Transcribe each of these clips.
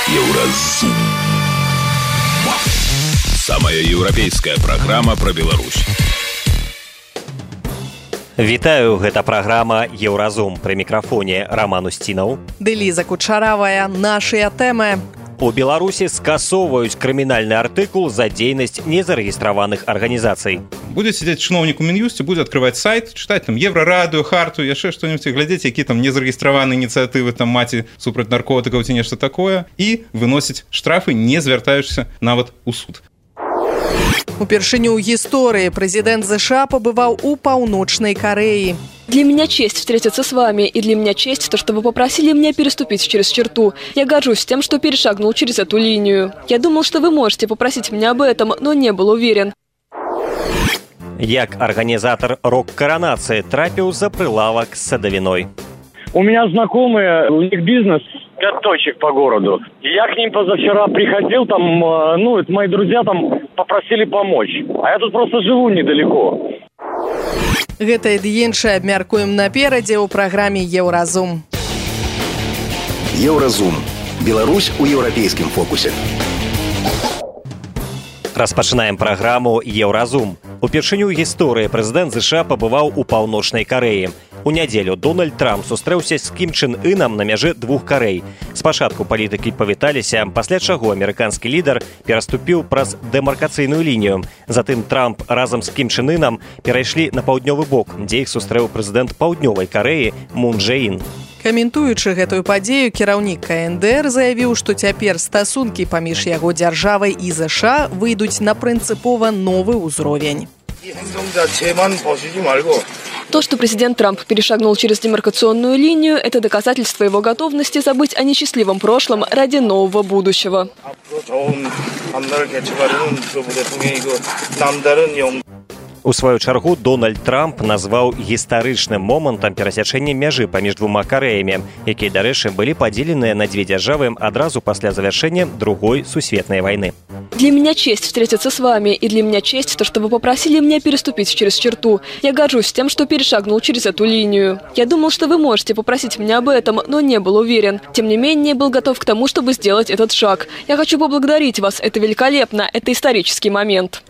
Еўразум. Самая еўрапейская праграма пра Беларусь. Вітаю, гэта праграма «Еўразум». Пры мікрафоне Роман Устінаў. Ліза Кучаравая. Нашыя тэмы. У Беларусі скасоўваюць крымінальны артыкул за дзейнасць незарэгістраваных арганізацый. Будзе сидзець чыноўнік у Мін'юсце, будзе адкрываць сайт, чытаць там Еўрарадыё, Харту, яшчэ што-нибудь, глядзець, які там незарэгістраваныя ініцыятывы, там маці супраць наркотыкаў ці нешта такое, і выносіць штрафы, не звяртаючыся нават у суд. Упершыню ў гісторыі прэзідэнт США пабываў у Паўночнай Карэі. Для меня честь встретиться с вами, и для меня честь то, что вы попросили меня переступить через черту. Я горжусь тем, что перешагнул через эту линию. Я думал, что вы можете попросить меня об этом, но не был уверен. Як арганізатар рок-каранацыі трапіў за прилавок з садавіной. У меня знакомые, у них бизнес 5 точек по городу. Я к ним позавчера приходил, там, это мои друзья там попросили помочь. А я тут просто живу недалеко. Гэта і іншае абмяркуем наперадзе ў праграме «Еўразум». Еўразум. Беларусь у еўрапейскім фокусе. Распачынаем праграму «Еўразум». Упершыню ў гісторыі прэзідэнт США пабываў у Паўночнай Карэі. У нядзелю Дональд Трамп сустрэўся з Кім Чен Ынам на мяжы двух Карэй. Спачатку палітыкі павіталіся, пасля чаго амерыканскі лідар пераступіў праз дэмаркацыйную лінію. Затым Трамп разам з Кім Чен Ынам перайшлі на паўднёвы бок, дзе іх сустрэў прэзідэнт Паўднёвай Карэі Мун Джэ Ін. Каментуючы гэтую падзею, кіраўнік КНДР заявіў, што цяпер стасункі паміж яго дзяржавай і ЗША выйдуць на прынцыпова новы ўзровень. То, что президент Трамп перешагнул через демаркационную линию, это доказательство его готовности забыть о несчастливом прошлом ради нового будущего. У сваю чаргу Дональд Трамп назваў гістарычным момантам перасячэння мяжы паміж двума Карэямі, якія, дарэчы, былі падзеленыя на дзве дзяржавы адразу пасля завяршэння Другой сусветнай вайны. Для меня честь встретиться с вами, и для меня честь то, что вы попросили меня переступить через черту. Я горжусь тем, что перешагнул через эту линию. Я думал, что вы можете попросить меня об этом, но не был уверен. Тем не менее, был готов к тому, чтобы сделать этот шаг. Я хочу поблагодарить вас. Это великолепно. Это исторический момент.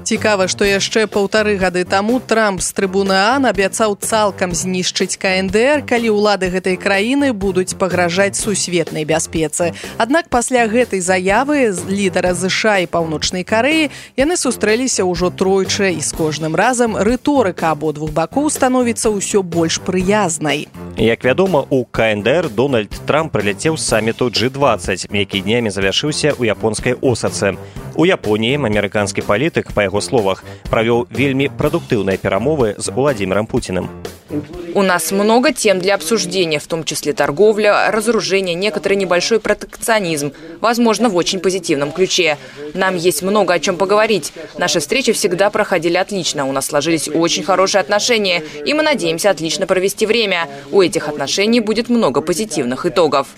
Цікава, што яшчэ 1,5 гады таму Трамп з трыбуны ААН абяцаў цалкам знішчыць КНДР, калі ўлады гэтай краіны будуць пагражаць сусветнай бяспецы. Аднак пасля гэтай заявы з лідара ЗША і Паўночнай Карэі яны сустрэліся ўжо тройчы, і з кожным разам рыторыка абодвух бакоў становіцца ўсё больш прыязнай. Як вядома, у КНДР Дональд Трамп прыляцеў з саміту G20, які днямі завяршыўся ў японскай Осацы. У Японіі амерыканскі палітык, па яго словах, провел вельми продуктивные перемовы с Владимиром Путиным. У нас много тем для обсуждения, в том числе торговля, разоружение, некоторый небольшой протекционизм, возможно, в очень позитивном ключе. Нам есть много о чем поговорить. Наши встречи всегда проходили отлично, у нас сложились очень хорошие отношения, и мы надеемся отлично провести время. У этих отношений будет много позитивных итогов.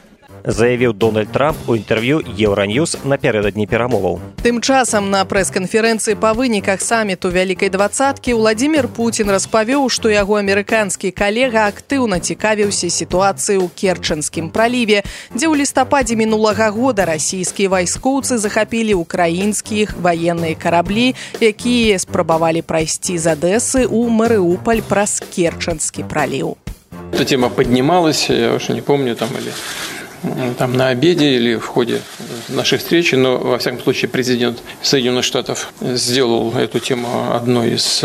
Заявіў Дональд Трамп у інтэрв'ю Еўраньюз напярэдадні перамоваў. Тым часам на прэс-канферэнцыі па выніках саміту Вялікай двадцаткі Владзімір Пуцін распавёў, што яго амерыканскі калега актыўна цікавіўся сітуацыяй у Керчэнскім праліве, дзе ў лістападзе мінулага года расійскія вайскоўцы захапілі украінскіх ваенныя караблі, якія спрабавалі прайсці з Адэсы ў Марыуполь праз Керчэнскі праліў. Эта тема поднималась, я уже не помню, там на обеде или в ходе нашей встречи, но, во всяком случае, президент Соединенных Штатов сделал эту тему одной из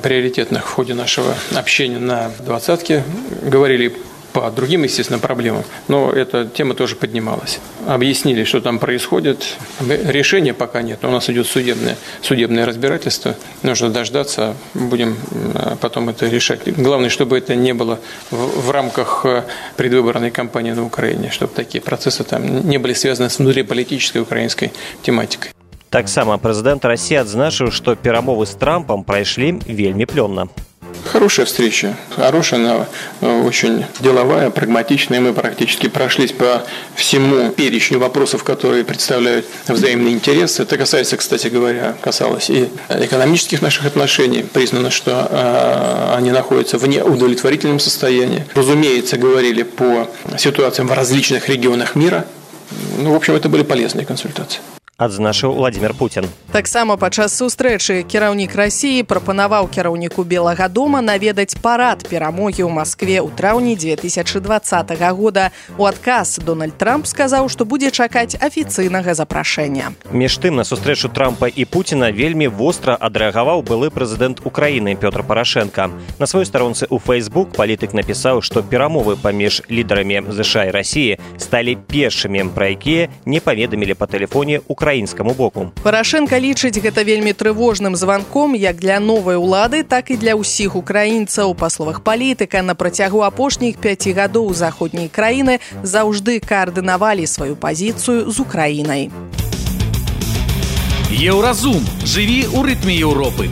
приоритетных в ходе нашего общения на двадцатке. Говорили по другим, естественно, проблемам, но эта тема тоже поднималась. Объяснили, что там происходит. Решения пока нет, у нас идет судебное разбирательство. Нужно дождаться, будем потом это решать. Главное, чтобы это не было в рамках предвыборной кампании на Украине, чтобы такие процессы там не были связаны с внутриполитической украинской тематикой. Таксама прэзідэнт Расіі адзначыў, што перамовы з Трампам прайшлі вельмі плённа. Хорошая встреча, хорошая, она очень деловая, прагматичная. Мы практически прошлись по всему перечню вопросов, которые представляют взаимный интерес. Это касается, кстати говоря, касалось и экономических наших отношений. Признано, что они находятся в неудовлетворительном состоянии. Разумеется, говорили по ситуациям в различных регионах мира. В общем, это были полезные консультации. Адзначыў Владимир Путин. Таксама падчас сустрэчы кіраўнік Расіі прапанаваў кіраўніку Белага дома наведаць парад перамогі ў Маскве ў траўні 2020 года. У адказ Дональд Трамп сказаў, што будзе чакаць афіцыйнага запрашэння. Між тым, на сустрэчу Трампа і Пуціна вельмі востра адрэагаваў былы прэзідэнт Украіны Пётр Парашенко. На сваёй старонцы ў Facebook палітык напісаў, што перамовы паміж лідарамі ЗША і Расіі сталі першымі, пра якія не паведамілі па тэлефоне украінскаму боку. Парашенко лічыць гэта вельмі трывожным званком як для новай улады, так і для ўсіх украінцаў. Па словах палітыка, на працягу апошніх 5 гадоў заходнія краіны заўжды каардынавалі сваю пазіцыю з Украінай. Еўразум. Жыві ў рытме Еўропы.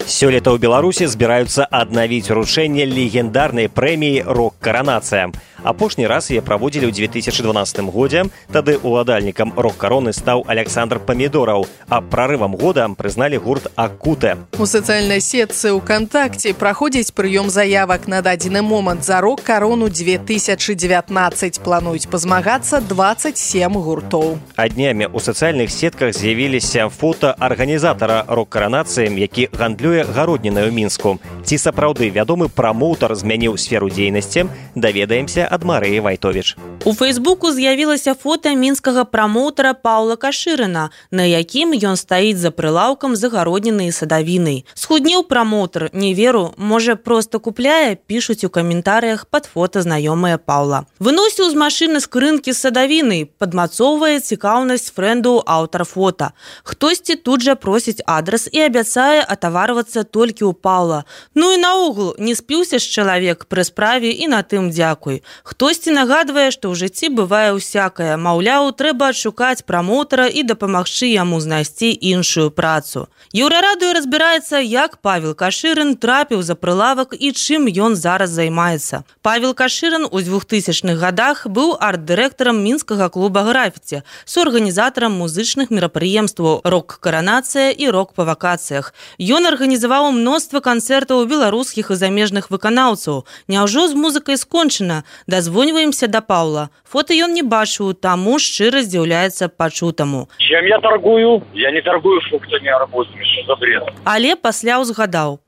Сёлета ў Беларусі збіраюцца аднавіць уручэнне легендарнай прэміі «Рок-каранацыя». Апошні раз яе праводзілі ў 2012 годзе, тады уладальнікам рок-кароны стаў Александр Памідораў, а прарывам года прызналі гурт «Акутэ». У сацыяльнай сетцы ВКонтакте праходзіць прыём заявак на дадзены момант за рок-карону 2019. Плануюць пазмагацца 27 гуртоў. А днямі ў сацыяльных сетках з'явіліся фота арганізатара рок-каранацыі, які гандлюе гароднінай у Мінску. Ці сапраўды вядомы прамоўтар змяніў сферу дзейнасці, даведаемся ад Марыі Вайтовіч. У Фейсбуку з'явілася фота мінскага прамоўтара Паўла Кашырына, на якім ён стаіць за прылаўкам з агароднінай і садавінай. Схуднеў прамоўтар, не веру, можа проста купляе, пішуць у каментарыях пад фота знаёмыя Паўла. Выносіў з машыны скрынкі з садавінай, падмацоўвае цікаўнасць фрэнду аўтар фота. Хтосьці тут жа просіць адрас і абяцае атаварвацца толькі ў Паўла. Ну і наогул, не спіўся ж чалавек пры справе і на тым дзякуй. Хтосьці нагадвае, што ў жыцці бывае ўсякае. Маўляў, трэба адшукаць прамоўтара і дапамагчы яму знайсці іншую працу. Еўрарадыё разбіраецца, як Павел Кашырын трапіў за прылавак і чым ён зараз займаецца. Павел Кашырын у 2000-х годах быў арт-дырэктарам мінскага клуба «Графіці», суарганізатарам музычных мерапрыемстваў «Рок-каранацыя» і «Рок па вакацыях». Ён арганізаваў мноства канцэртаў беларускіх і замежных выканаўцаў. Няўжо з музыкай скончана? Дазвоньваемся да Паўла. Фота ён не бачыў, таму шчыра здзіўляецца пачутаму. Чем я торгую? Я не торгую фруктами, арбузами, что за бред? Але пасля ўзгадаў.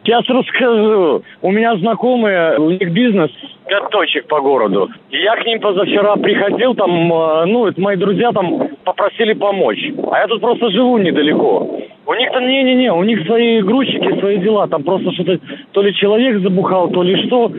Сейчас расскажу. У меня знакомые, у них бизнес, 5 точек по городу. И я к ним позавчера приходил, там, это мои друзья там попросили помочь. А я тут просто живу недалеко. У них-то не-не-не, у них свои грузчики, свои дела. Там просто что-то, то ли человек забухал, то ли что.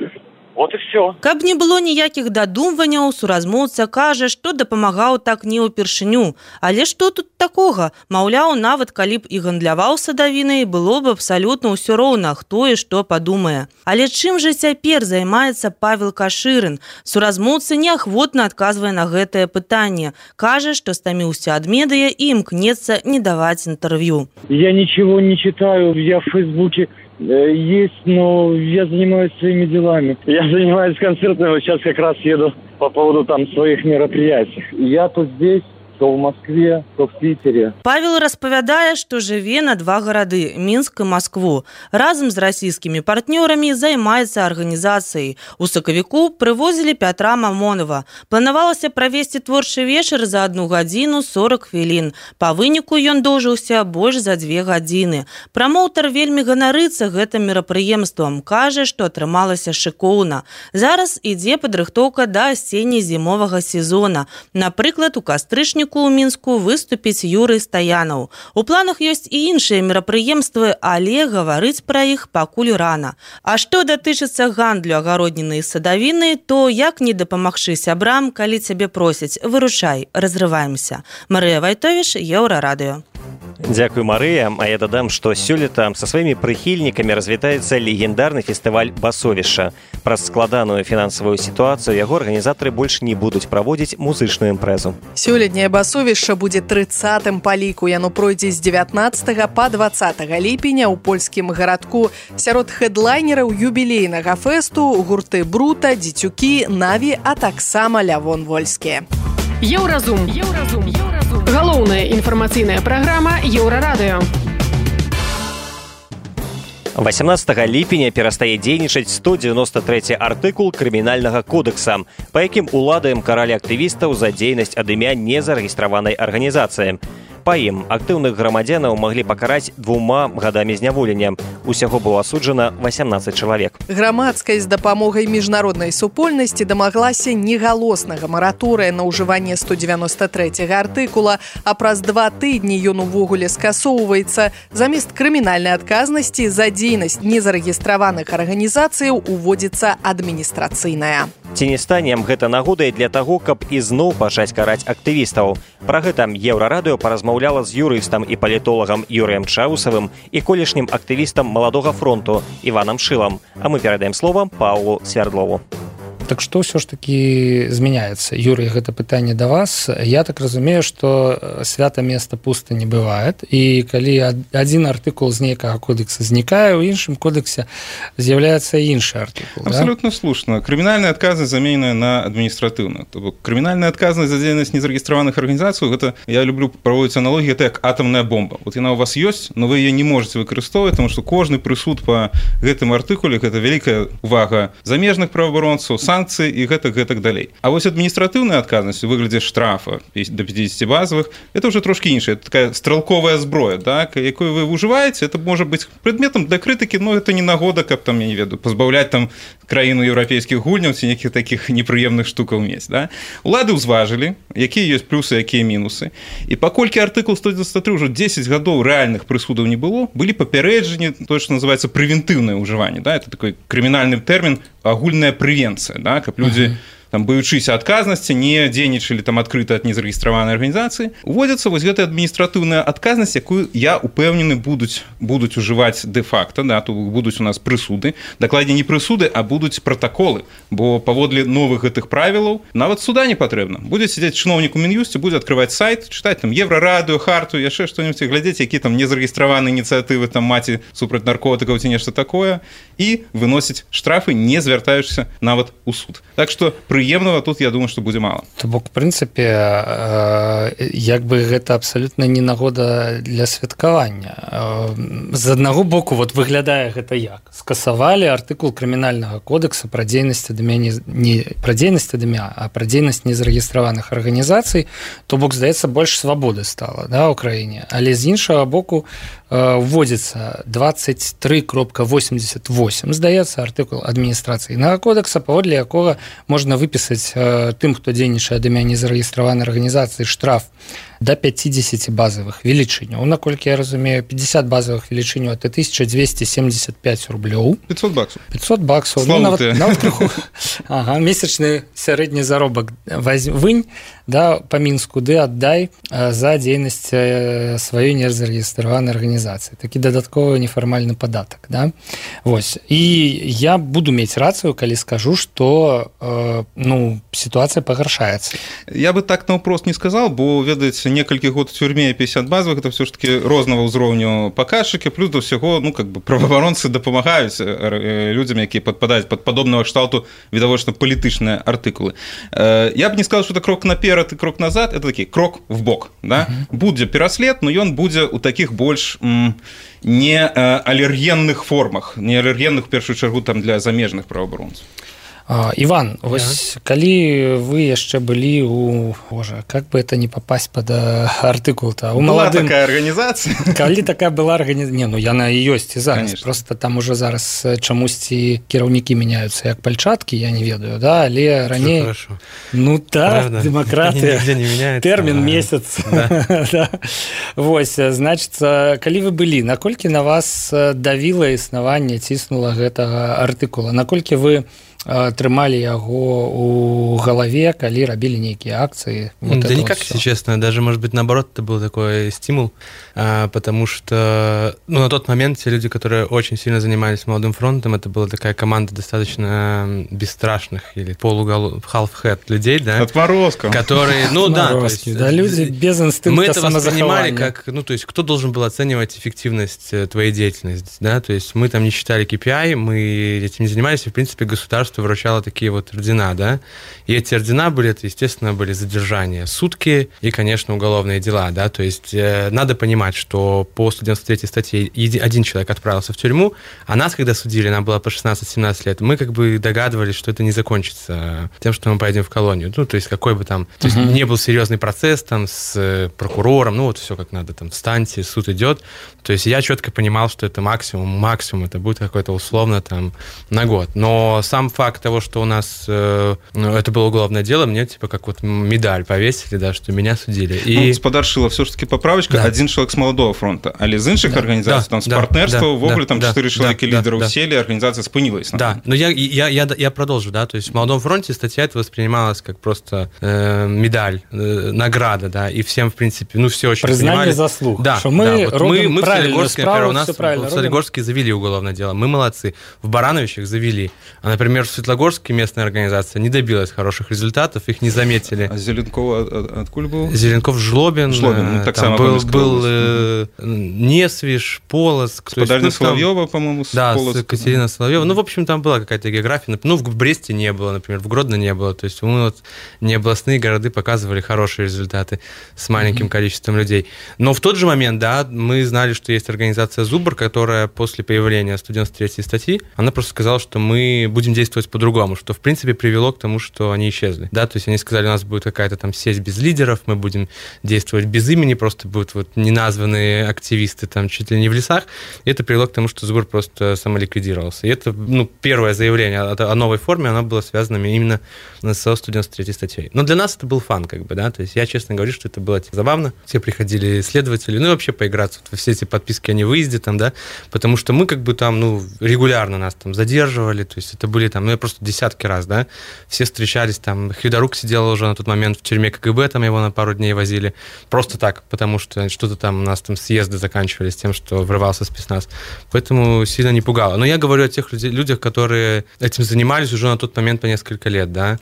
Вот и все. Каб не было ніякіх дадумванняў, суразмоўца кажа, што дапамагаў так не ўпершыню. Але што тут такога? Маўляў, нават калі б і гандляваў садавінай, было б абсалютна ўсё роўна, хто і што падумае. Але чым жа цяпер займаецца Павел Кашырын? Суразмоўца неахвотна адказвае на гэтае пытанне. Кажа, што стаміўся ад медыя і імкнецца не даваць інтэрв'ю. Я ничего не читаю, я в Фейсбуке есть, но я занимаюсь своими делами. Я занимаюсь концертами, вот сейчас как раз еду по поводу там своих мероприятий. Я то здесь, то в Москве, то в Питере. Павел распавядае, што жыве на 2 гарады – Мінск і Маскву. Разам з расійскімі партнёрамі займаецца арганізацыяй. У сакавіку прывозілі Пятра Мамонова. Планавалася правесці творчы вечар за 1 гадзіну 40 хвілін. Па выніку ён доўжыўся больш за 2 гадзіны. Прамоўтар вельмі ганарыцца гэтым мерапрыемствам. Кажа, што атрымалася шыкоўна. Зараз ідзе падрыхтоўка да асенне-зімовага сезона. Напрыклад, у кастрычніку у Мінску выступіць Юрый Стаянаў. У планах ёсць і іншыя мерапрыемствы, але гаварыць пра іх пакуль рана. А што датычыцца гандлю агароднінай і садавінай, то як не дапамагчы сябрам, калі цябе просяць? Выручай, разрываемся. Марыя Вайтовіч, Еўрарадыё. Дзякуй, Марыя. А я дадам, што сёлета са сваімі прыхільнікамі развітаецца легендарны фестываль «Басовішча». Праз складаную фінансавую сітуацыю яго арганізатары больш не будуць праводзіць музычную імпрэзу. Сёлетняе «Басовішча» будзе 30-м па ліку. Яно пройдзе з 19 па 20 ліпеня ў польскім гарадку. Сярод хэдлайнераў юбілейнага фэсту гурты «Брута», «Дзіцюкі», «Наві», а таксама «Лявон Вольскі». Еўразум. Галоўная інфармацыйная праграма Еўрарадыё. 18 ліпеня перастае дзейнічаць 193 артыкул крымінальнага кодекса, па якім уладаем каралі актывістаў за дзейнасць ад імя незарэгістраванай арганізацыі. Па ім актыўных грамадзянаў маглі пакараць 2 гадамі зняволення. Усяго было асуджана 18 чалавек. Грамадскасць з дапамогай міжнароднай супольнасці дамаглася негалоснага мараторыя на ўжыванне 193 артыкула, а праз 2 тыдні ён увогуле скасоўваецца. Замест крымінальнай адказнасці за дзейнасць незарэгістраваных арганізацыяў уводзіцца адміністрацыйная. Ці не стане гэта нагодай для таго, каб ізноў пачаць караць актывістаў? Пра гэта Еўрарадыё паразмаўляла з юрыстам і палітолагам Юрыем Чаусавым і колішнім актывістам Маладога фронту Іванам Шылам. А мы перадаем слова Паўлу Свярдлову. Так што ўсё ж такі змяняецца? Юрый, гэта пытанне да вас. Я так разумею, што свята места пуста не бывае. І калі адзін артыкул з нейкага кодекса знікае, у іншым кодексе з'яўляецца іншы артыкул. Абсолютно слушна. Крымінальная адказнасць замененая на адміністратыўную. То бок крымінальная адказнасць за дзейнасць незарэгістраваных арганізацый, гэта я люблю праводзіць аналогію, гэта як атамная бомба. Вот яна у вас ёсць, но вы яе не можете выкарыстоўваць, тому што кожны прысуд па гэтым артыкуле гэта вялікая увага замежных праваабаронцаў, санкцыі і гэтак далей. А вось адміністратыўная адказнасць у выглядзе штрафа до 50 базовых, это уже трошки іншая, это такая стрелковая зброя, так, якую вы ўжываеце, это можа быць предметом для крытыкі, но это не нагода, каб там, я не ведаю, пазбаўляць там краіну еўрапейскіх гульняў ці нейкіх такіх непрыемных штукаў мець, да? Улады ўзважылі, якія ёсць плюсы, якія мінусы. І паколькі артыкул 193 ўжо 10 гадоў рэальных прысудаў не было, былі папярэджанні, тое, што называецца прэвентыўнае ўжыванне, да? Это такой крымінальны тэрмін, агульная прэвенцыя, да? Каб людзі там, баючыся адказнасці, не дзейнічалі там адкрыта ад незарэгістраванай арганізацыі, уводзіцца вось гэтая адміністратыўная адказнасць, якую, я упэўнены, будуць ужываць дэ-факта, да, то будуць у нас прысуды, дакладней не прысуды, а будуць пратаколы, бо паводле новых гэтых правілаў нават суда не патрэбна. Будзе сядзець чыноўнік у Мін'юсце, будзе адкрываць сайт, чытаць там Еўрарадыё, харту, яшчэ што-нибудь, глядзець, які там незарэгістраваныя ініцыятывы там маці супраць наркотыкаў ці нешта такое, і выносіць штрафы, не звяртаючыся нават у суд. Так што прыемнага тут, я думаю, што будзе мала. То бок, в прынцыпе, як бы гэта абсалютна не нагода для святкавання. З аднаго боку, вот выглядае гэта як? Скасавалі артыкул крымінальнага кодекса пра дзейнасць ад імя, не пра дзейнасць ад імя, а пра дзейнасць незарэгістраваных арганізацый, то бок, здаецца, больш свабоды стала, да, ў краіне. Але з іншага боку, вводзіцца 23.88, здаецца, артыкул адміністрацыйнага кодекса, паводле якога можна выпісаць тым, хто дзейнічае ад імя незарэгістраванай арганізацыі, штраф до 50 базовых велічыняў. Наколькі я разумею, 50 базовых велічыняў – это 1275 рублёў. 500 баксов. 500 баксов. Ну, нават крыху. Ага, месячны сярэдні заробак вынь, да, па Мінску, ды аддай за дзейнасць сваёй незарэгістраванай арганізацыі. Такі дадатковы нефармальны падатак, да? Вось. І я буду мець рацыю, калі скажу, што сітуацыя пагаршаецца. Я бы так наўпрост не сказал, бо, ведаеце, некалькі год в тюрьме 50 базовых, это все ж таки рознага ўзроўню паказчыкі, плюс до ўсяго, праваабаронцы дапамагаюць людзям, якія падпадаюць пад падобнага кшталту відавочна палітычныя артыкулы. Я бы не сказал, что это крок наперад и крок назад, это такі крок в бок, да? Будзе пераслед, но ён будзе ў такіх больш не алергенных формах, не алергенных, в першую чаргу, там, для замежных праваабаронцаў. Иван, вось калі вы яшчэ былі у... Боже, как бы это не попасть под артыкул-то? Была такая организация? Калі такая была организация? Не, яна і ёсць і зараз. Конечно. Просто там уже зараз чамусьці кіраўнікі мяняюцца як пальчаткі, я не ведаю, да? Але раней... Ну так, демократыя. Тэрмін месяц. Да. Вось, значыцца, калі вы былі, наколькі на вас давіла існаванне, ціснула гэтага артыкула? Наколькі вы трымалі яго у галаве, калі рабілі нейкія акции? Вот да никак, если честно. Даже, может быть, наоборот, это был такой стимул, потому что на тот момент те люди, которые очень сильно занимались Молодым фронтом, это была такая команда достаточно бесстрашных или half-head людей, да? Отморозков. Которые, да, люди без инстинкта самозахования. Мы это воспринимали как, то есть, кто должен был оценивать эффективность твоей деятельности, да? То есть, мы там не считали KPI, мы этим не занимались, и, в принципе, государство что вручала такие вот ордена, да, и эти ордена были, это, естественно, были задержания сутки и, конечно, уголовные дела, да, то есть надо понимать, что по 193 статье один человек отправился в тюрьму, а нас, когда судили, нам было по 16-17 лет, мы как бы догадывались, что это не закончится тем, что мы поедем в колонию, ну, то есть какой бы там, то есть не был серьезный процесс там с прокурором, ну, вот все как надо, там, встаньте, суд идет, то есть я четко понимал, что это максимум, это будет какой-то условно там на год, но сам факт того, что у нас это было уголовное дело, мне типа как вот медаль повесили, да, что меня судили. І... Ну, спадаршила все-таки поправочка, да. Один человек с молодого фронта, але з інших організацій, там, з партнерства, в огляд, там 4 человека лидеров сели, организация спынилась. Да, но я продолжу, да, то есть в молодом фронте статья это воспринималась как просто медаль, награда, да, и всем, в принципе, ну, все очень признание понимали. Заслуг, да, что мы да, робим мы правильную справу, у нас в Солигорске завели уголовное дело, мы молодцы, в Барановичах завели, а, например, в Светлогорске местная организация не добилась хороших результатов, их не заметили. А Зеленков откуда был? Зеленков Жлобин, так там был Несвиж, Полоцк. Спадарня Соловьева, по-моему, с да, Полоцк. с Екатерина Соловьева. Ну, в общем, там была какая-то география. Ну, в Бресте не было, например, в Гродно не было. То есть мы вот не областные города показывали хорошие результаты с маленьким количеством людей. Но в тот же момент, да, мы знали, что есть организация «Зубр», которая после появления 193 статьи, она просто сказала, что мы будем действовать по-другому, что, в принципе, привело к тому, что они исчезли. Да, то есть они сказали, у нас будет какая-то там сеть без лидеров, мы будем действовать без имени, просто будут вот неназванные активисты там чуть ли не в лесах. И это привело к тому, что Зубр просто самоликвидировался. И это, ну, первое заявление о новой форме, оно было связано именно со 193 статьей. Но для нас это был фан, как бы, да, то есть я честно говорю, что это было забавно. Все приходили следователи, ну и вообще поиграться вот во все эти подписки о невыезде там, да, потому что мы как бы там, ну, регулярно нас там задерживали, то есть это были там, ну, я просто десятки раз, да, все встречались там, Хвидорук сидел уже на тот момент в тюрьме КГБ, там его на пару дней возили, просто так, потому что что-то там у нас там съезды заканчивались тем, что врывался спецназ, поэтому сильно не пугало. Но я говорю о тех людях, которые этим занимались уже на тот момент по несколько лет, да,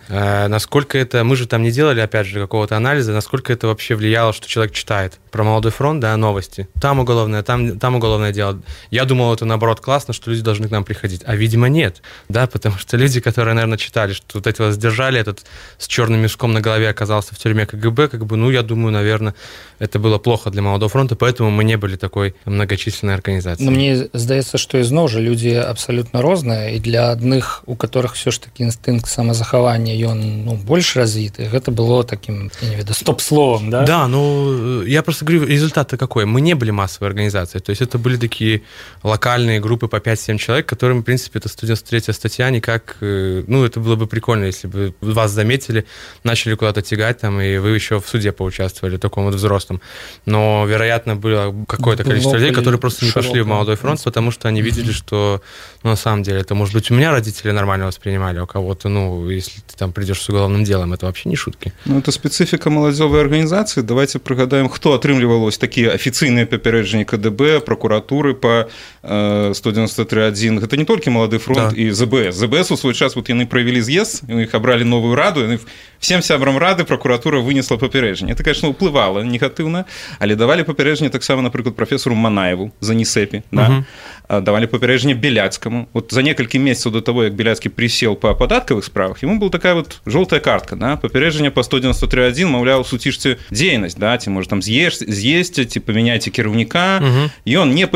насколько это, мы же там не делали, опять же, какого-то анализа, насколько это вообще влияло, что человек читает про молодой фронт, да, новости, там уголовное, там уголовное дело. Я думал, это наоборот классно, что люди должны к нам приходить, а видимо нет, да, потому что люди, которые, наверное, читали, что вот этого задержали, этот с черным мешком на голове оказался в тюрьме КГБ, как бы, ну, я думаю, наверное, это было плохо для молодого фронта, поэтому мы не были такой многочисленной организацией. Но мне здаецца, што ізноў жа людзі абсалютна розныя, і для адных, у которых все ж таки інстынкт самазахавання ён, ну, больш развіты, гэта было таким, я не ведаю, стоп-словом, да? Да, ну, я просто говорю, результат-то какой? Мы не были массовой организацией, то есть это были такие локальные группы по 5-7 человек, которым, в принципе, эта 193 статья никак, ну, это было бы прикольно, если бы вас заметили, начали куда-то тягать там, и вы еще в суде поучаствовали, таком вот взрослом. Но, вероятно, было какое-то количество людей, которые просто не пошли в молодой фронт, потому что они видели, что, ну, на самом деле, это, может быть, у меня родители нормально воспринимали, а у кого-то, ну, если ты там придешь с уголовным делом, это вообще не шутки. Ну, это специфика молодежной организации. Давайте пригадаем, кто отрымливал такие официальные попереджения КДБ, прокуратуры по 193.1. Это не только молодой фронт, да, и ЗБС. ЗБС у свой час вот они провели съезд, их обрали новую раду, и всем сябрам рады прокуратура вынесла попередження. Это, конечно, уплывало негативно, але давали попередження так само, например, профессору Манаеву за НИСЭПи, да? Давали попередження Беляцкому. Вот за несколько месяцев до того, как Беляцкий присел по податковых справах, ему была такая вот желтая картка, да? Попередження по 193.1, мовляв, сутишьте деятельность, да? Ті, может, там з'їздите, поменяйте керівника, и он не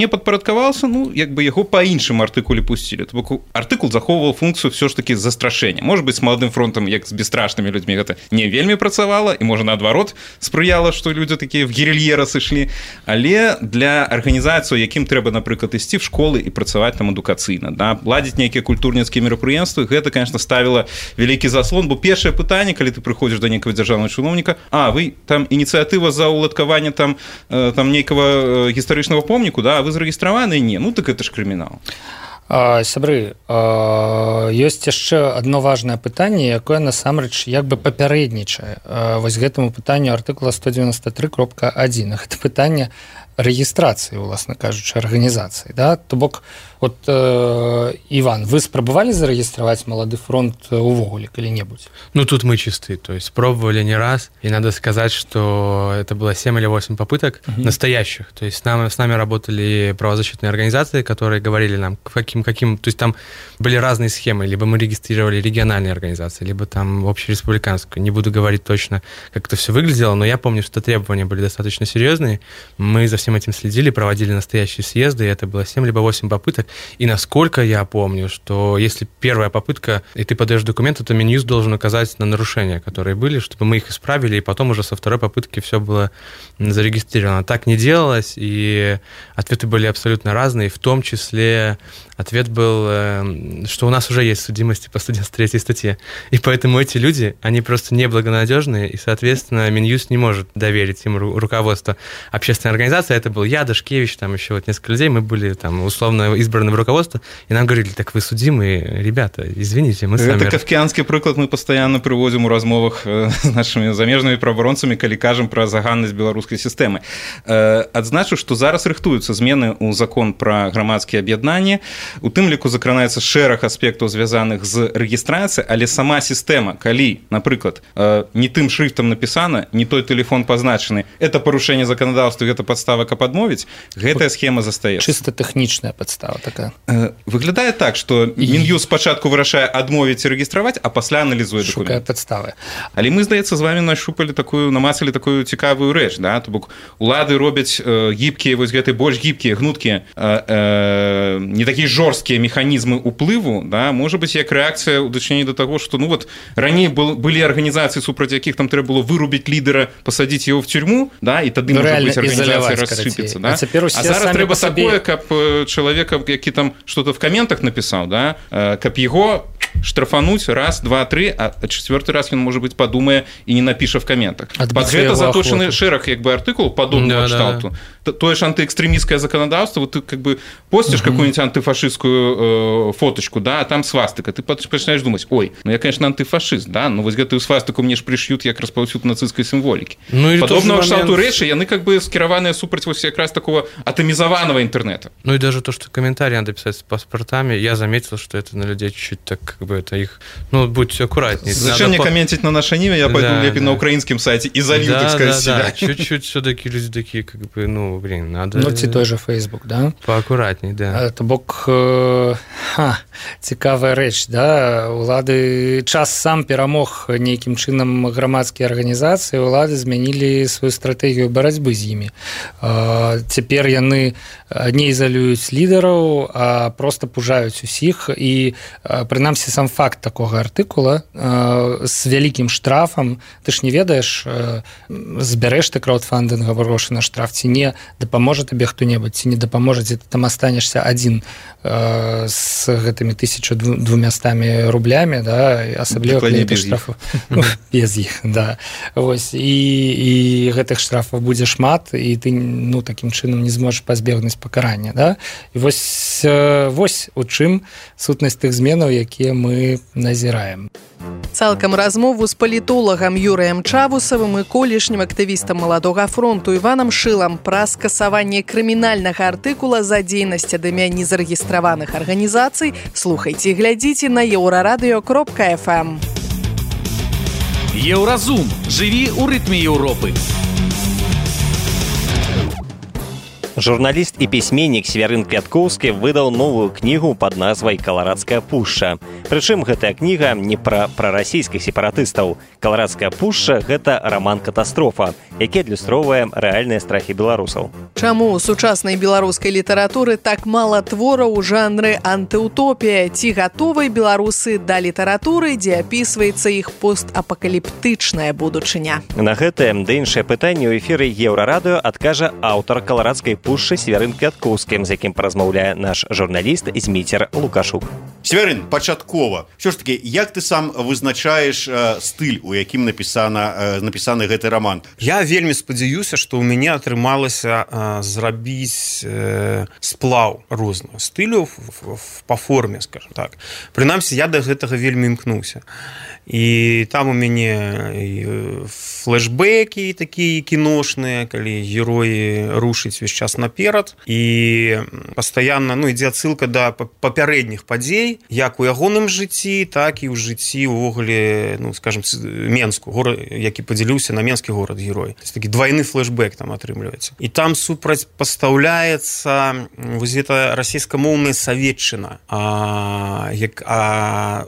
подпорядковался, ну, как бы его по іншому артикулі пустили. Тобто артикул заховував функцію все ж таки застрашення. Може бути, з молодим фронтом, як з безстрашними людьми, це не вельми працювало, і може, наоборот, сприяло, що люди такі в гірильєра сійшли. Але для організацій, яким треба, наприклад, істи в школи і працювати там адукаційно, да, ладити некие культурніцькі мероприємства, гэта, конечно, ставило великий заслон, бо перше питання, коли ти приходиш до некого державного чиновника, ви там ініціатива за уладкування там некого гістарычного помніку, да, а вы зарегістраваны? Не, ну так это ж крымінал. Сябры, ёсць яшчэ адно важнае пытанне, якое насамрэч як бы папярэднічае вось гэтаму пытанню артыкула 193.1. Гэта пытанне рэгістрацыі, уласна кажучы, арганізацыі, да? То бок Вот, Иван, вы спрабавалі зарегистровать «Молодый фронт» увогуле калі-небудзь? Ну, тут мы чистые, то есть пробовали не раз, и надо сказать, что это было 7 или 8 попыток настоящих, то есть с нами работали правозащитные организации, которые говорили нам, каким, то есть там были разные схемы, либо мы регистрировали региональные организации, либо там общереспубликанскую, не буду говорить точно, как это все выглядело, но я помню, что требования были достаточно серьезные, мы за всем этим следили, проводили настоящие съезды, и это было 7 либо 8 попыток, и насколько я помню, что если первая попытка, и ты подаешь документы, то Минюст должен указать на нарушения, которые были, чтобы мы их исправили, и потом уже со второй попытки все было зарегистрировано. Так не делалось, и ответы были абсолютно разные, в том числе ответ был, что у нас уже есть судимости по 193 статье, и поэтому эти люди, они просто неблагонадежные, и, соответственно, Минюст не может доверить им руководство общественной организации. Это был я, Дашкевич, там еще вот несколько людей, мы были там условно избраны в руководство, и нам говорили, так вы судимые, ребята, извините, мы сами... Это кафкіанскі прыклад мы постоянно приводим у размовах с нашими замежными правоабаронцамі, калі кажам про заганнасць беларускай сістэмы. Адзначу, што зараз рыхтуюцца змены ў закон про грамадскія аб'яднанні, у тым ліку закранаецца шэраг аспектаў, звязаных з рэгістрацыяй, але сама сістэма, калі, напрыклад, не тым шрифтам напісана, не той телефон пазначаны, это парушэнне заканадаўства, гэта падстава, каб адмовіць, гэтая схема застаецца. Чыста тэхнічная падстава такая. Выглядае так, што Мін'юст спачатку вырашае адмовіць і рэгістраваць, а пасля аналізуе дакумент. Шукае падставы. Але мы, здаецца, з вами намацалі такую цікавую рэч, да? То бок улады робяць гібкія, вось гэты больш гібкія, гнуткія, не такія жорсткія механізмы ўплыву, да? Можа быць, як рэакцыя ў дачыненні да таго, што ну вот раней былі арганізацыі, супраць якіх там трэба было вырубіць лідара, пасадзіць яго в тюрьму, да? І тады можа быць арганізацыя рассыпецца, да? А зараз трэба такое, каб чалавека, які там что-то в комментах написал, да, каб его штрафануть раз, два, три, а четвертый раз он, может быть, подумае и не напіша в комментах. Под гэта заточаны шэраг, як бы, артыкул падобного кшталту. Тое ж антыэкстрэмісцкае заканадаўства, вот ты как бы постишь какую-нибудь антыфашистскую фоточку, да, а там свастыка, ты начинаешь думать, ой, ну я, конечно, антыфашист, да, но вот гэтую свастыку мне ж пришьют як распаўсюд нацысцкай сімволікі. Ну, подобного кшталту рэчы, яны как бы скіраваныя супраць вось якраз такого атомизованного интернета. Ну и даже то, что комментарии надо писать с паспортами, я заметил, что это на людей чуть-чуть так, как бы, это их, ну, будьте аккуратнее. Зачем мне комментить на наше имя, я пойду лепей на украинском сайте и залью, так сказать, себя. Да, чуть-чуть все-таки люди такие, как бы, ну, блин, надо... Ну, ці той же Facebook, да? Поаккуратней, да. То бок, цікавая рэч, да? Улады час сам перамог нейкім чынам грамадскія арганізацыі, улады змянілі сваю стратэгію барацьбы з імі. Цяпер яны не ізалююць лідараў, а просто пужаюць усіх, і прынамсі сам факт такога артыкула з вялікім штрафам, ты ж не ведаеш, збярэш ты краудфандынгавы грошы на штраф, ці не дапаможа табе хто-небудзь, ці не дапаможа, ці ты там астанешся адзін з гэтымі 1200 рублямі, да, асабліва калі штрафу без іх, да. Вось, і гэтых штрафаў будзе шмат, і ты, ну, такім чынам не зможаш пазбегнуць пакарання, да. І вось у чым сутнасць тых зменаў, якія мы назіраем. Цалкам размову з палітолагам Юрыем Чавусавым і колішнім актывістам Маладога фронту Іванам Шылам пра скасаванне крымінальнага артыкула за дзейнасць ад імя незарэгістраваных арганізацый слухайце і глядзіце на еўрарадыё.фм. Еўразум. Жыві ў рытме Еўропы. Журналіст і пісьменнік Свярын Квяткоўскі выдаў новую кнігу пад назвай «Каларадская пушча». Прычым гэтая кніга не пра расійскіх сепаратыстаў. «Каларадская пушча» – гэта раман-катастрофа, які адлюстроўвае рэальныя страхі беларусаў. Чаму ў сучаснай беларускай літаратуры так мала твораў у жанры антыутопія? Ці гатовыя беларусы да літаратуры, дзе апісваецца іх постапакаліптычная будучыня? На гэтае ды іншае пытанне ў эфіры Еўрарадыё адкажа аўтар «Каларадскай пушчы» Свярын Квяткоўскі, з якім паразмаўляе наш журналіст Зміцер Лукашук. Свярын, пачаткова. Все ж таки, як ты сам вызначаеш стыль, у якім напісаны гэты роман? Я вельмі спадзяюся, што ў мяне атрымалася зрабіць сплаў розных стыляў па форме, скажем так. Прынамсі, я да гэтага вельмі імкнуўся. І там у мяне флешбекі такія кіношныя, калі героі рушаць увесь час рухацца наперад, і пастаянна ідзе адсылка да папярэдніх падзей, як у ягоным жыцці, так і ў жыцці увогуле, скажем, Менску, горад, які падзяліўся на менскі горад-герой. Такі двойны флешбэк там атрымліваецца. І там супрацьпастаўляецца вось гэта расійскамоўная саветчына. А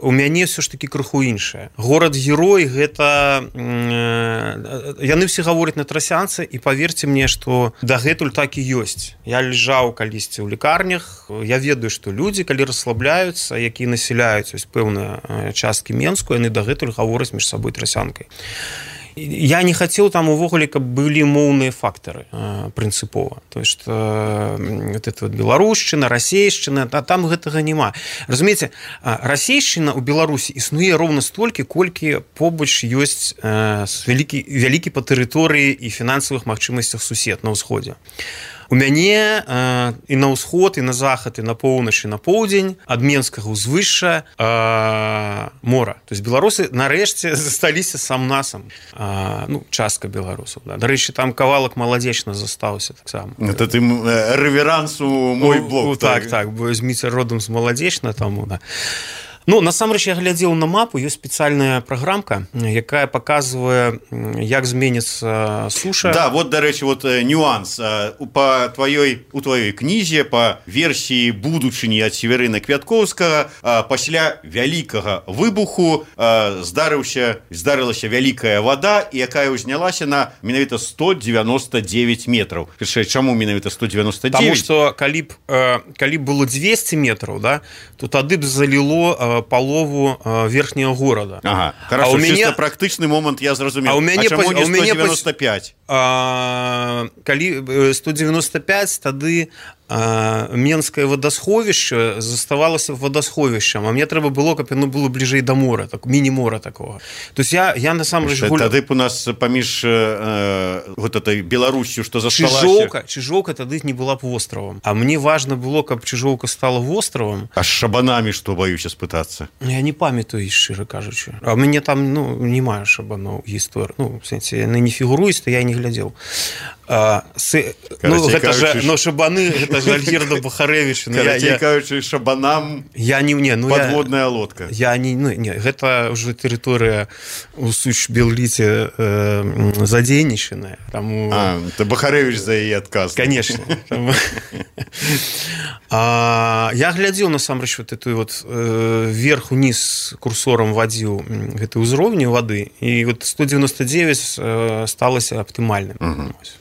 у мяне все ж таки крыху іншае. Горад-герой гэта яны все гавораць на трасянцы, і паверце мне, што дагэтуль так і ёсць. Я ляжаў калісьці ў лекарнях, я ведаю, што людзі, калі расслабляюцца, якія насяляюць пэўныя часткі Менску, яны дагэтуль гавораць між сабой трасянкай. Я не хацеў там увогуле, каб былі моўныя фактары прынцыпова. То есть беларушчына, расейшчына, там гэтага няма. Разумееце, расейшчына ў Беларусі існуе роўна столькі, колькі побач ёсць вялікі па тэрыторыі і фінансавых магчымасцях сусед на ўсходзе. У мяне і на ўсход, і на захад, і на поўнач, і на поўдзень ад Менскага ўзвышша мора. То есть беларусы нарэшце засталіся сам-насам. Частка беларусаў. Дарэчы, там кавалак Маладзечна застаўся таксама. Это ты рэверансу мой блог. Так, бо зміце родам з Маладзечна таму, да. Насамрэч, я глядзеў на мапу, ёсць спецыяльная праграмка, якая паказвае, як зменіцца суша. Да, вот, дарэчы, нюанс. У тваёй кнізе па версіі будучыні ад Северына Квяткоўскага пасля вялікага выбуху здарылася вялікая вада, якая ўзнялася на менавіта 199 метраў. Чаму менавіта 199? Таму што калі б было 200 метраў, да, то тады б заліло палову верхняга горада. Ага, хорошо, чисто практычны момант я зразумеў. А чаму не 195? Калі 195, тады Менскае вадасховішча заставалася вадасховішчам, а мне трэба было, каб яно было бліжэй да мора, міні-мора такога. То есть я насамрэч тады б у нас паміж этой Беларусью, што засталася. Чыжоўка тады не была б востравам. А мне важна было, каб Чыжоўка стала востравам. А з шабанамі што, баюся спытацца? Я не памятаю, шчыра кажучы. А мяне там немає шабаноў гісторыі. В сэнсе, яны не фігуруюць, то я не глядзеў. Шабаны, гэта ж Альгерда Бахарэвіч. Кажучы, шабанам подводная лодка. Гэта ўжо тэрыторыя у Суч-Белліце задзейнічаная. Бахарэвіч за яе адказ. Конечно. Я глядзеў, насамрэч, вверх-уніз курсорам вадзіў гэты ўзроўні вады, і 199 сталася аптымальным.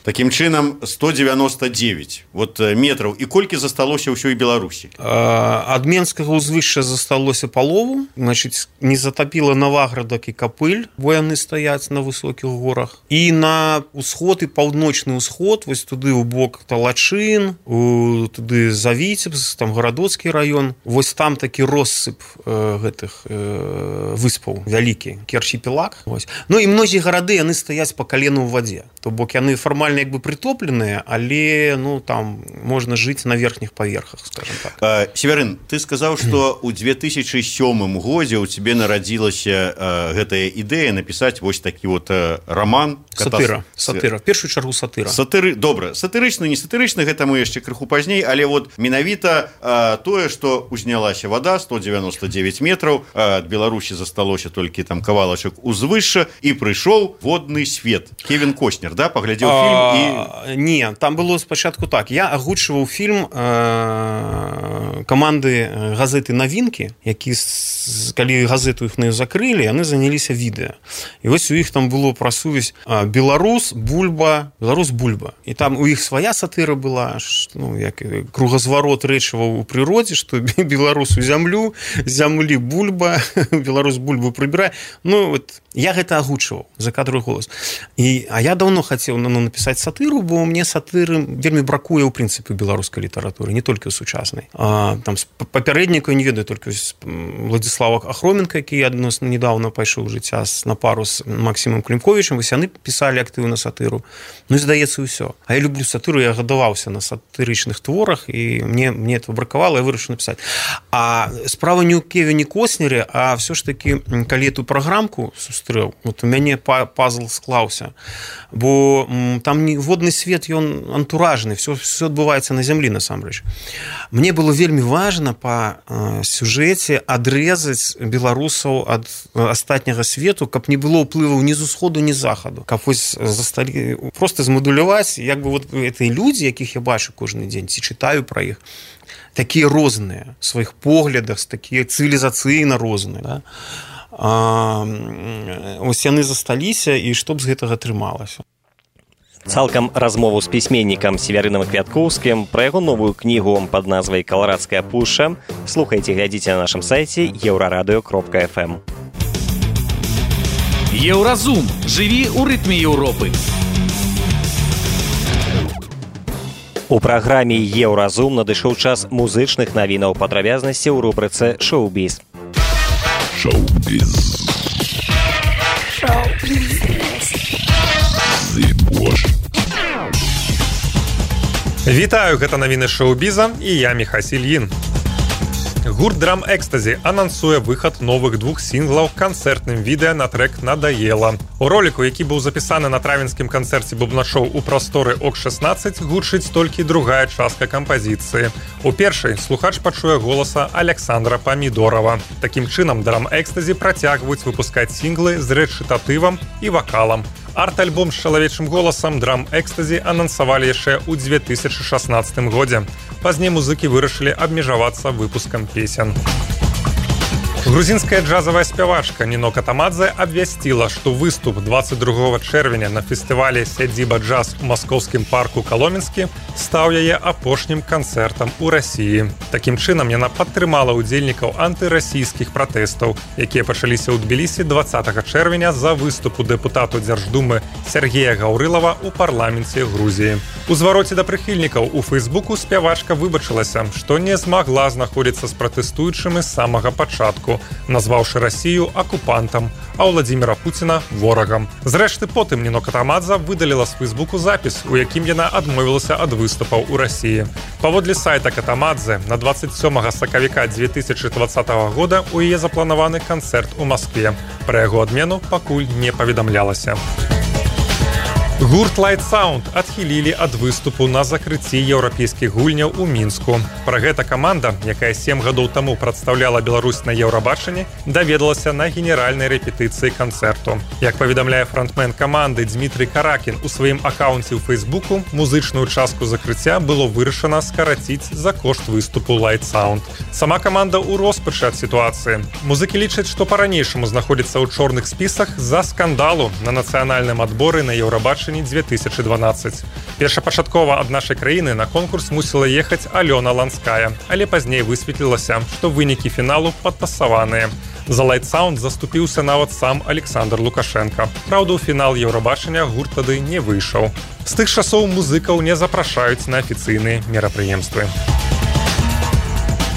Такім чынам 199 метраў. І колькі засталося ўсёй Беларусі? Ад Менскага ўзвышша засталося палову, значыць, не затапіла Наваградак і Капыль, бо яны стаяць на высокіх горах. І на ўсход і паўночны ўсход, вось туды ў бок Талачын, туды Завіцебск, там Гарадоцкі раён, вось там такі россып гэтых выспаў вялікі, архіпелаг. І многія гарады яны стаяць па калену ў вадзе. То бок яны фармальна як бы прытопленыя, але там можна жыць на верхніх паверхах, скажем так. Северын, ты сказаў, што ў 2007 годзе ў цябе нарадзілася гэтая ідэя напісаць вось такі раман. Сатыра. В першую чаргу сатыра. Добра, сатырычны, не сатырычны, гэта мы яшчэ крыху пазней, але менавіта тое, што узнялася вада 199 метраў, ад Беларусі засталося толькі там кавалачак узвышша, і прыйшоў водны свет. Кевін Коснер, да, паглядзеў фільм і... Не, там было спачатку так. Я агучваў фільм каманды газеты «Навінкі», які, калі газету іх закрылі, яны заняліся відэа. І вось у іх там было пра сувязь Беларус, Бульба. І там у іх свая сатыра была, як кругазварот рэчываў у прыродзе, што Беларус у зямлю, зямлі Бульба, Беларус Бульбу прыбірае. Я гэта агучваў за кадровы голас. А я даўно хацеў напісаць сатыру, бо мне сатыры вельмі бракуе ў прынцыпе беларускай літаратуры, не толькі ў сучаснай. Там папярэдніка не ведаю, толькі Владзіслава Ахроменка, які адносна недавно пайшоў жыцця на пару з Максімам Клімковічам, вось яны пісалі актыўна сатыру. І здаецца ўсё. А я люблю сатыру, я гадаваўся на сатырычных творах, і мне это бракавала, я вырашыў напісаць. А справа не ў Кевіне Коснере, а все ж таки, калі эту праграмку сустрэў, у мяне пазл склаўся. Бо бо там водны свет, ён антуражны, все адбываецца на зямлі насамрэч. Мне было вельмі важна па сюжэце адрэзаць беларусаў ад астатняга свету, каб не было ўплываў ні з усходу, ні з захаду. Каб вось засталі проста змадуляваць, як бы вот гэтыя людзі, якіх я бачу кожны дзень, ці чытаю пра іх, такія розныя в сваіх поглядах, такія цывілізацыйна розныя, да? Ось яны засталіся, і што б з гэтага атрымалася. Цалкам размову з пісьменнікам Северыном Квяткоўскім пра яго новую кнігу пад назвай «Каларадская пушча» слухайце, глядзіце на нашым сайце euraradio.fm. Еўразум. Жыві ў рытме Еўропы. У праграме «Еўразум» надышоў час музычных навінаў, падрабязнасці ў рубрыцы «Шоу-біз». Шоу-біз. Вітаю, гэта навіны шоу-біза і я Міхасіль Ін. Гурт Drum Ecstasy анансуе выхад новых 2 сінглаў канцэртным відэа на трэк «Надаела». У роліку, які быў запісаны на травенскім канцэрце бубначоў у прасторы ОК-16, гучыць толькі другая частка кампазіцыі. У першай слухач пачуе голаса Александра Памідорова. Такім чынам Drum Ecstasy працягваюць выпускаць сінглы з рэчытатывам і вакалам. Арт-альбом з чалавечым голасам Drum Ecstasy анансавалі яшчэ ў 2016 годзе. Пазней музыкі вырашылі абмежавацца выпускам песен. Грузінская джазавая спявачка Нино Катамадзе абвясціла, што выступ 22 чэрвеня на фестывалі «Сядзіба джаз» у маскоўскім парку Каломенскі стаў яе апошнім канцэртам у Расіі. Такім чынам яна падтрымала ўдзельнікаў антырасійскіх пратэстаў, якія пачаліся ў Тбілісі 20 чэрвеня за выступу дэпутату Дзярждумы Сергея Гаўрылава ў парламенце Грузіі. У звароце да прыхільнікаў у Фейсбуку спявачка выбачылася, што не змагла знаходзіцца з пратэстуючымі з самага пачатку, назваўшы Расію акупантам, а Владзіміра Пуціна ворагам. Зрэшты, потым Нино Катамадзе выдаліла з Фейсбуку запіс, у якім яна адмовілася ад выступаў у Расіі. Паводле сайта Катамадзе, на 27 сакавіка 2020 года у яе запланаваны канцэрт у Маскве. Пра яго адмену пакуль не паведамлялася. Гурт Light Sound адхілілі ад выступу на закрыцці еўрапейскіх гульняў у Мінску. Пра гэта каманда, якая 7 гадоў таму прадстаўляла Беларусь на Еўрабачанні, даведалася на генеральнай рэпетыцыі канцэрту. Як паведамляе фронтмен каманды Дмітрый Каракін у сваім акаунце ў Фейсбуку, музычную частку закрыцця было вырашана скараціць за кошт выступу Light Sound. Сама каманда ў роспачы ад сітуацыі. Музыкі лічаць, што па-ранейшаму знаходзіцца ў чорных спісах з-за скандалу на нацыянальным адборы на Еўрабачанні 2012. Першапачаткова ад нашай краіны на конкурс мусіла ехаць Алёна Ланская, але пазней высветлілася, што вынікі фіналу падтасаваныя. За Light Sound заступіўся нават сам Александр Лукашенко. Праўда, у фінал Еўрабачання гурт тады не выйшаў. З тых часоў музыкаў не запрашаюць на афіцыйныя мерапрыемствы.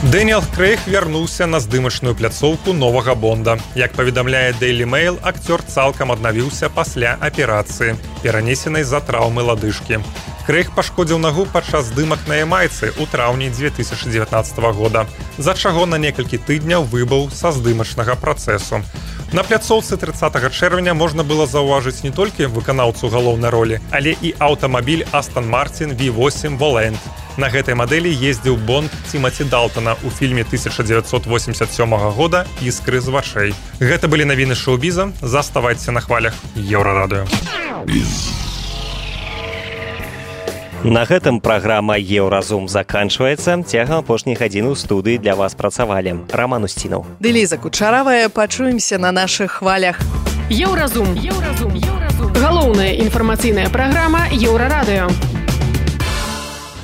Дэніэл Крэйг вярнуўся на здымачную пляцоўку новага Бонда. Як паведамляе Daily Mail, акцёр цалкам аднавіўся пасля аперацыі, перанесенай з-за траўмы ладышкі. Крэйг пашкодзіў нагу падчас здымак на Ямайцы ў траўні 2019 года, за чаго на некалькі тыдняў выбыў са здымачнага працэсу. На пляцоўцы 30 чэрвеня можна было заўважыць не толькі выканаўцу галоўнай ролі, але і аўтамабіль Aston Martin V8 Volant. На гэтай мадэлі ездзіў Бонд Тимати Далтона ў фільме 1987 года «Іскры з вачэй». Гэта былі навіны шоу-біза. Заставайцеся на хвалях Еўрарадыё. На гэтым праграма «Еўразум» заканчваецца. Цягам апошніх гадзін у студыі для вас працавалі Роман Устінаў. Ды Ліза Кучаравая. Пачуемся на нашых хвалях. Еўразум. Галоўная інфармацыйная праграма Еўрарадыё.